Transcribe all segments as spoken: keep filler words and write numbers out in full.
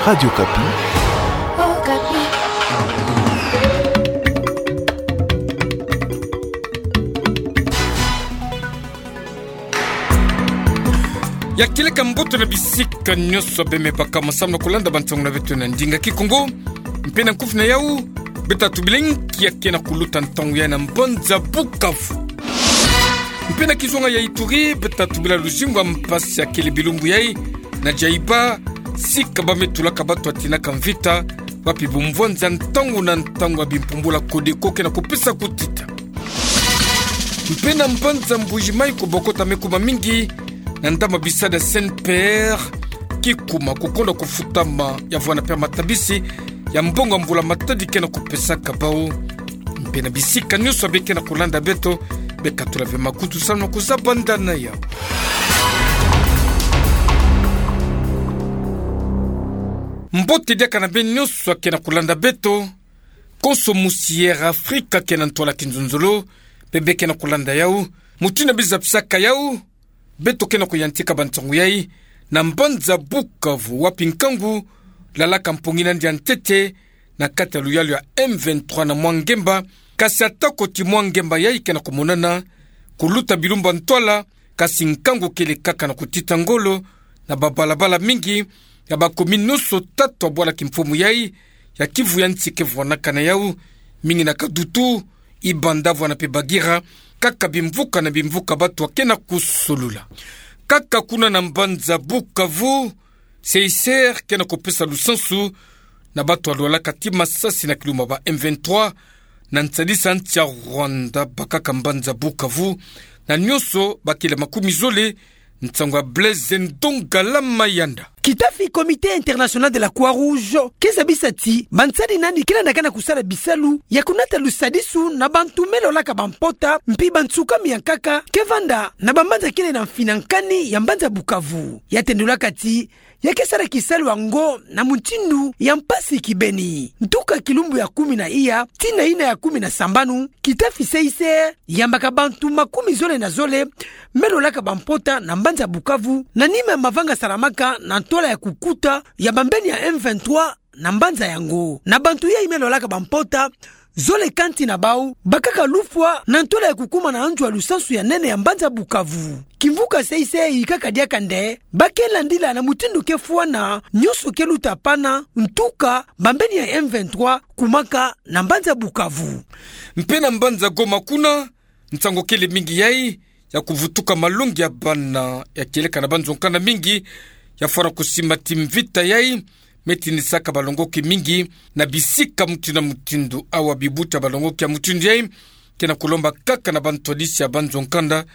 Radio Okapi. Ya kieleka mbote na bisika nyonso bemebaka masamu na kulanda bansangu na beto na ndinga Kikongo. Mpe na nkufi na yau, beta tubilenki ya kena kuluta ntangu yai na mbanza Bukavu. Mpe na kizunga ya Ituri, beta tubila luzingu ya mpasi ya kele bilumbu yai na Djaïba, sika ba me tulaka bato ya tinaka mvita, wapi bumvwanzi ya ntangu na ntangu ya bimpumbula Codeco kena kupesa kutita. Mpe na mbanza Mbuji-Mayi, kobokota me kuma mingi na ndama bisadi ya CNPR, kikuma kukonda kufutama ya vwanda mpe matabisi ya mbongo ya mbula matadi kena kupesaka bau. Mpe na bisika nyonso bie kena kulanda beto, beka tula ve makutu samu na kuzaba ndana yau. Mbote diaka na beno nyonso ya kena kulanda beto. Konso musi Air Afrika kena ntwala kinzonzolo, bie bie kena kulanda yau. Mutindu ya bizapisaka yau, beto kena kuyantika bansangu yai na mbanza Bukavu, wapi nkangu lalaka mpongi na yandi ya ntete na kati ya luyalu ya M vingt-trois na mwa ngemba. Kasi atako ti mwa ngemba yai kena kumonana, kuluta bilumbu ya ntwala, kasi nkangu kele kaka na kutita ngolo na babalabala mingi ya bacommune nyonso tatu ya bwala kimfumu yai ya Kivu ya nsi ke vwanaka na yau, mingi na Kadutu, Ibanda vwanda mpe Bagira, kaka bimvuka na bimvuka bato ya kena kusolula. Kaka kuna na mbanza Bukavu, CICR kena kupesa lusansu na bato ya lwalaka ti masasi na kilumbu ya ba M vingt-trois, na nsadisa nsi ya Rwanda bakaka mbanza Bukavu, na nyonso bakele makumi zole. Nsangu ya Blaise Ndonga la Mayanda. Kitafi Comité International de la Croix-Rouge ke zabisa ti bansadi nani ke landaka na kusala bisalu ya kunata lusadisu na bantu me lolaka bampota, mpi bansukami ya nkaka ke vanda na bambanza kele na mfina nkani ya mbanza Bukavu. Ya tendulaka ti ya ke sala kisalu yango na mutindu ya mpasi kibeni. Ntuka kilumbu ya kumi na iya tii na yina ya kumi na sambanu, kitafi CICR yambaka bantu makumi zole na zole me lolaka bampota na mbanza Bukavu, na nima ya mavanga salamaka na ntwala ya kukuta ya bambeni ya M vingt-trois na mbanza yango. Na bantu yai me lolaka bampota, zole kanti na bau bakaka lufwa na ntwala ya kukuma na anzwa lusansu ya nene ya mbanza Bukavu. Kimvuka CICR yikaka diaka nde ba ke landila na mutindu ke fwana, nyonso ke luta pana, ntuka bambeni ya M vingt-trois kumaka na mbanza Bukavu. Mpe na mbanza Goma kuna, nsangu kele mingi yai ya kuvutuka malongi ya bana ya kieleka na banzo-nkanda mingi ya fwana kusimba ti mvita yai me tindisaka balongoki mingi na bisika mutindu na mutindu. Awa bibuti ya balongoki ya mutindu yai kena kulomba kaka na bantwadisi ya banzo-nkanda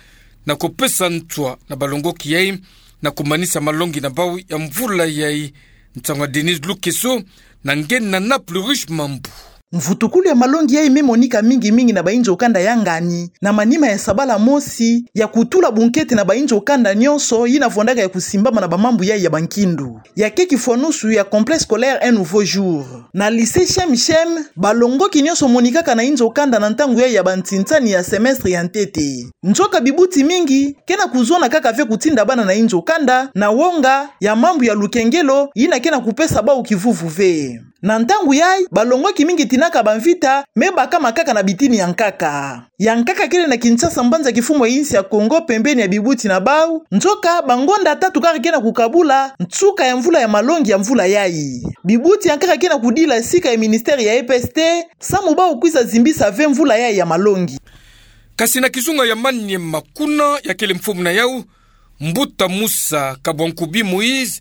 na kupesa ntwa na balongoki yai na kumanisa malongi na bau ya mvula yai. Nsangu ya Denise Lukeso na nge na Naples Rush Mambu. Mvutukulu ya malongi yai me monika mingi mingi na bainzo-kanda ya ngani, na manima ya sabala mosi ya kutula bunkete na bainzo-kanda nyonso yina vwandaka ya kusimbama na bamambu yai ya bankindu. Ya ke kifwanusu ya Complexe scolaire Un nouveau jour. Na lycée Shem Shem, balongoki nyonso monikaka na inzo-kanda na ntangu yai ya bantinsani ya semestre ya ntete. Nzoka bibuti mingi kena kuzona kaka ve kutinda bana na inzo-kanda na wonga ya mambu ya lukengelo yina kena kupesa bau kivuvu ve. Na ntangu yai, balongoki mingi tinaka bamvita me bakama kaka na bitini ya nkaka. Ya nkaka kele na Kinshasa, mbanza kifumu ya insi ya Congo, pembeni ya bibuti na bau. Nzoka bangonda tatu kaka kena kukabula nsuka ya mvula ya malongi ya mvula yai. Bibuti ya nkaka kena kudila sika ya ministère ya EPST samu bau kwiza zimbisa ve mvula yai ya malongi. Kasi na kizunga ya Maniema kuna, ya kele mfumu na yau, mbuta Musa Kabwankubi Moïse,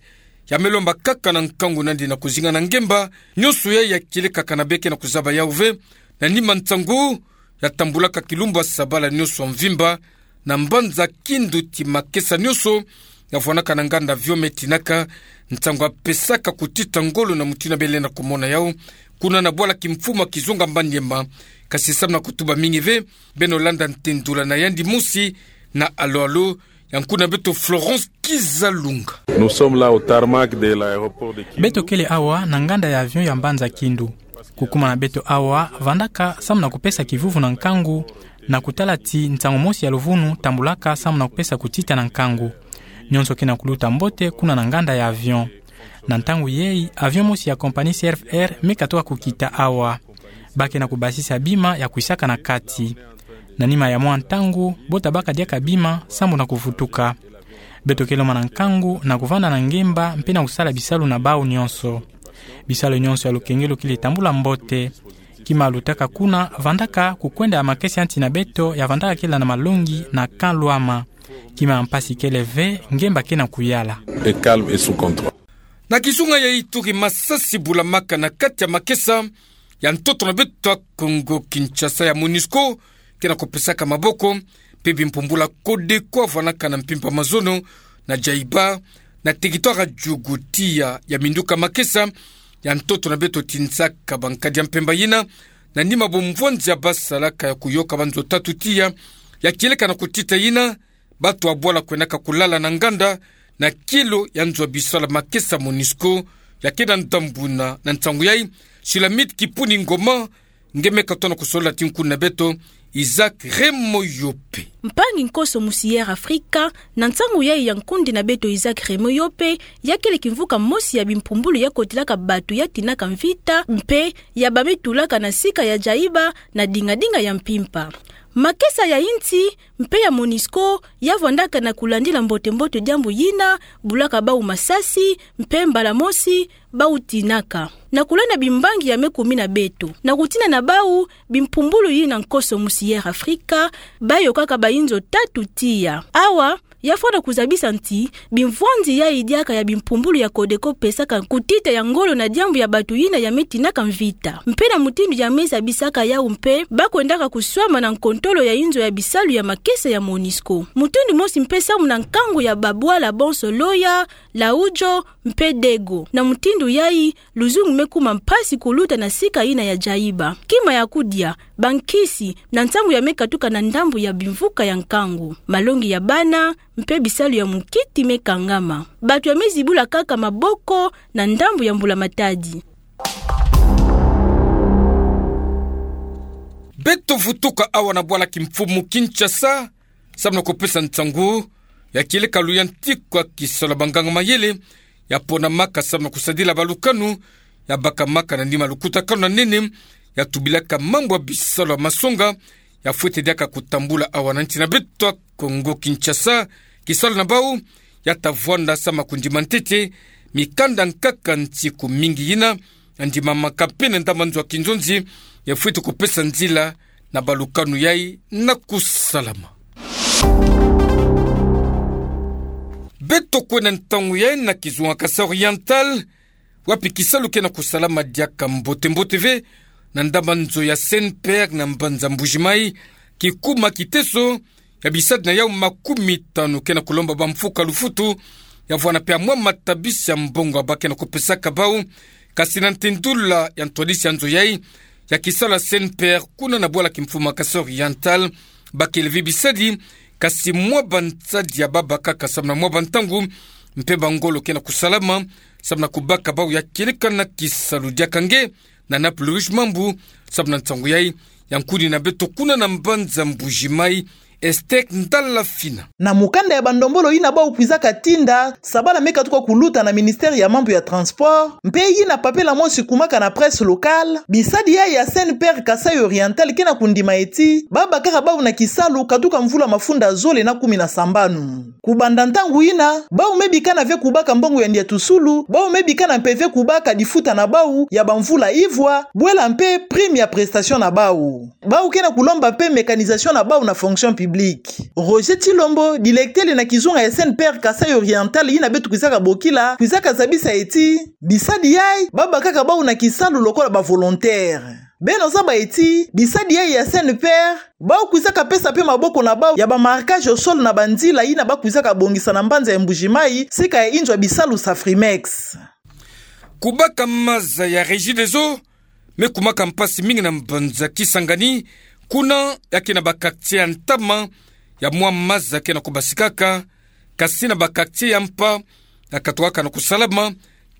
ya me lomba kaka na nkangu na yandi na kuzinga na ngemba nyonso yai ya kieleka kana bie kena kuzaba yau ve, na nima nsangu ya tambulaka kilumbu ya sabala nyonso mvimba na mbanza Kindu ti makesa nyonso ya vwanaka na nganda avion me tinaka, nsangu ya pesaka kutita ngolo na mutindu bie lenda kumona yau kuna na bwala kimfumu ya kizunga Maniema. Kasi samu na kutuba mingi ve, beno landa ntendula na yandi mosi na alo-alo ya nkuna beto Florence Kizalunga. Nous sommes là au tarmac de l'aéroport de Kindu. Beto kele awa na nganda ya avion ya mbanza Kindu. Kukuma na beto awa vandaka samu na kupesa kivuvu na nkangu, na kutala ti nsangu mosi ya luvunu tambulaka samu na kupesa kutita na nkangu. Nyonso kena kuluta mbote kuna na nganda ya avion. Na ntangu yai, avion mosi ya compagnie C R F Air me katoka kukita awa. Ba ke na kubasisa bima ya kwisaka na kati. Na nima ya mwa ntangu, bo tabaka diaka bima, sambu na kuvutuka. Beto kele mwana nkangu, na kuvanda na ngemba, mpe na kusala bisalu na bau nyonso. Bisalu nyonso ya lukengelo kele tambula mbote. Kima lutaka kuna, vandaka kukwenda ya makesa ya nti na beto, ya vandaka kela na malongi na Kan Luama. Kima mpasi kele ve, ngemba ke na kuyala. Et calme et sous contrôle. Na kizunga ya itu ki masasi bulamaka na kati ya makesa ya ntoto na beto ya Kongo Kinshasa ya MONUSCO, ke na kupesaka maboko, mpe bimpumbula Codeco vwanaka na mpimpa mazono na Djaïba, na territoire ya Djugu tiya ya minduka makesa ya ntoto na beto tinzaka bankadi ya mpemba yina, na nima bumvwanzi ya basalaka ya kuyoka banzo tatu tiya, ya kieleka na kutita yina, bato ya bwala kwendaka kulala na nganda, na kilo ya nzo ya bisalu ya makesa MONUSCO, ya ke na ndambu na, na nsangu yai, Shulamit Kipuni Ngoma, nge me katona kusolola ti nkuni na beto, Isaac Remoyope. Mpangi nkoso musi Air Africa, na nsangu yai ya nkundi na beto Isaac Remoyope, ya kele kimvuka mosi ya bimpumbulu ya kotelaka bato ya tinaka mvita, mpe ya ba me tulaka na sika ya Djaïba, na dingadinga ya mpimpa. Makesa ya insi, mpe ya MONUSCO, ya vwandaka na kulandila mbote-mbote diambu yina, bulaka bau masasi, mpe mbala mosi, bau tinaka. Na kulanda bimbangi ya me kumi na beto. Na kutina na bau, bimpumbulu yina nkoso musi Air Africa, ba yokaka bainzo tatu tiya. Awa, ya fwana kuzabisa nti, bimvwanzi yai diaka ya bimpumbulu ya Codeco pesaka kutita ya ngolo na diambu ya bato yina ya me tinaka mvita. Mpe na mutindu ya me zabisaka yau mpe, ba kwendaka kuswama na nkontolo ya inzo ya bisalu ya makesa ya MONUSCO. Mutindu mosi mpe sambu na nkangu ya babwala bonso Loya, Laudjo, mpe Dego. Na mutindu yai, luzungu me kuma mpasi kuluta na sika yina ya Djaïba. Kima ya kudia, bankisi, na nsangu ya me katuka na ndambu ya bimvuka ya nkangu. Malongi ya bana, mpe bisalu ya munkiti me kangama. Bato ya me zibula kaka maboko na ndambu ya mbula matadi. Beto vutuka awa na bwala kimfumu Kinshasa, sambu na kupesa nsangu ya kieleka luyantikwa kisalu ya banganga mayele, ya ponamaka sambu na kusadila balukanu, ya bakamaka na nima lukutakanu na nene, ya tubilaka mambu ya bisalu ya masonga, ya fwete diaka kutambula awa na nsi na beto ya Kongo Kinshasa, kisalu na bau, ya ta vwanda sambu na kundima ntete mikanda nkaka nsiku mingi yina, ya ndimamaka mpe na ndambu ya nzo ya kinzonzi, ya fwete kupesa nzila na balukanu yai na kusalama. Beto kwenda ntangu yai na kizunga Kasai Oriental, wapi kisalu ke na kusalama diaka mbote-mbote ve, na ndambu ya nzo ya Saint-Pierre na mbanza Mbuji-Mayi, kikuma kiteso, ya bisadi na yau makumi tanu ke na kulomba bamfuka lufutu, ya vwanda mpe ya mwa matabisi ya mbongo ya ba ke na kupesaka bau, kasi na ntendula ya ntwadisi ya nzo yai, ya kisalu ya Saint-Pierre, kuna na bwala kimfumu Kasai Oriental, ba kele ve bisadi, kasi mwa bansadi ya ba bakaka sambu na mwa bantangu, mpe bangolo ke na kusalama, sambu na kubaka bau ya kieleka na kisalu diaka nge, na Nape Louis Mambu, sambu na nsangu yai, ya nkuni na beto kuna na mbanza Mbuji-Mayi, Esther Ndalafina. Na mukanda ya bandombolo yina bau kwizaka tinda, sabala me katuka kuluta na ministère ya mambu ya transport, mpe yina papela mosi kumaka na presse locale, bisadi yai ya Saint-Pierre Kasai Oriental ke na kundima eti, ba bakaka bau na kisalu katuka mvula mafunda zole na kumi na sambanu. Kubanda ntangu yina, bau me bikana ve kubaka mbongo ya ndiatusulu, bau me bikana mpe ve kubaka difuta na bau ya bamvula ivwa, bwela mpe prime ya prestation na bau. Bau ke na kulomba mpe mécanisation na bau na fonction publique. Roger Tshilombo, directeur na kizunga ya Saint-Pierre Kasai Oriental yina beto kwizaka bokila, kwizaka zabisa eti, bisadi yai, ba bakaka bau na kisalu lokola ba volontaire. Beno zaba eti, bisadi yai ya Saint-Pierre, bau kwizaka pesa mpe maboko na bau ya ba marquage au sol na banzila yina ba kwizaka bongisa na mbanza ya Mbuji-Mayi, sika ya inzo ya bisalu Safrimex. Kubaka maza ya Regideso, me kumaka mpasi mingi na mbanza Kisangani, kuna ya ke na ba quartier ya ntama, ya mwa maza ke na kubasikaka, kasi na ba quartier ya mpa, ya katokaka na kusalama,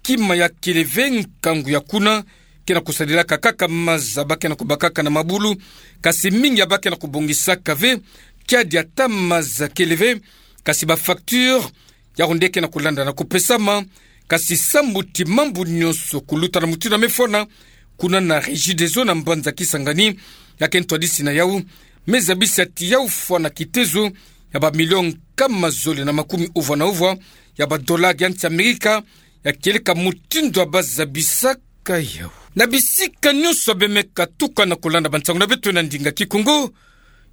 kima ya kele ve nkangu ya kuna, ke na kusadilaka kaka maza ba ke na kubakaka na mabulu, kasi mingi ya ba ke na kubongisaka ve, kiadi ata maza kele ve, kasi ba facture, yau nde ke na kulanda na kupesama, Kasi sambu ti mambu nyonso kuluta na mutindu ya mefona, kuna na Regideso na mbanza Kisangani, ya kento hadisi na yau, me zabisa ti yau fwana kitezo ya bamilio nkama zole na makumi uvwa na uvwa ya badola ya nsi Amerika, ya kieleka mutindu ya bazabisaka yau. Na bisika nyonso bemeka tuka na kolanda bansangu na beto na ndinga Kikongo,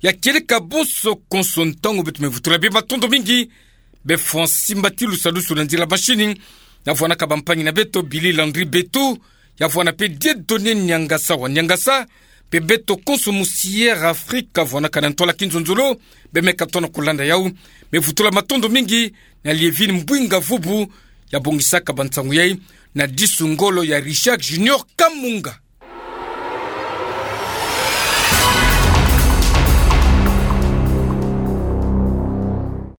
ya kieleka bonso konso ntangu beto mevutula bie matondo mingi, be Francis Mbatilu sadusu na nzila mashini, ya vwanaka bampangi na beto Billy Landry Beto, ya vwana pe Dieudonné Niangasa wa Niangasa, pe beto konso mu Sierra Africa vwanaka na ntwala kinzonzolo, bemeka tona kolanda yau, mevutula matondo mingi na Lievine Mbwinga Vubu, ya bongisaka bansangu yai, na disu ngolo ya Richard Junior Kamunga.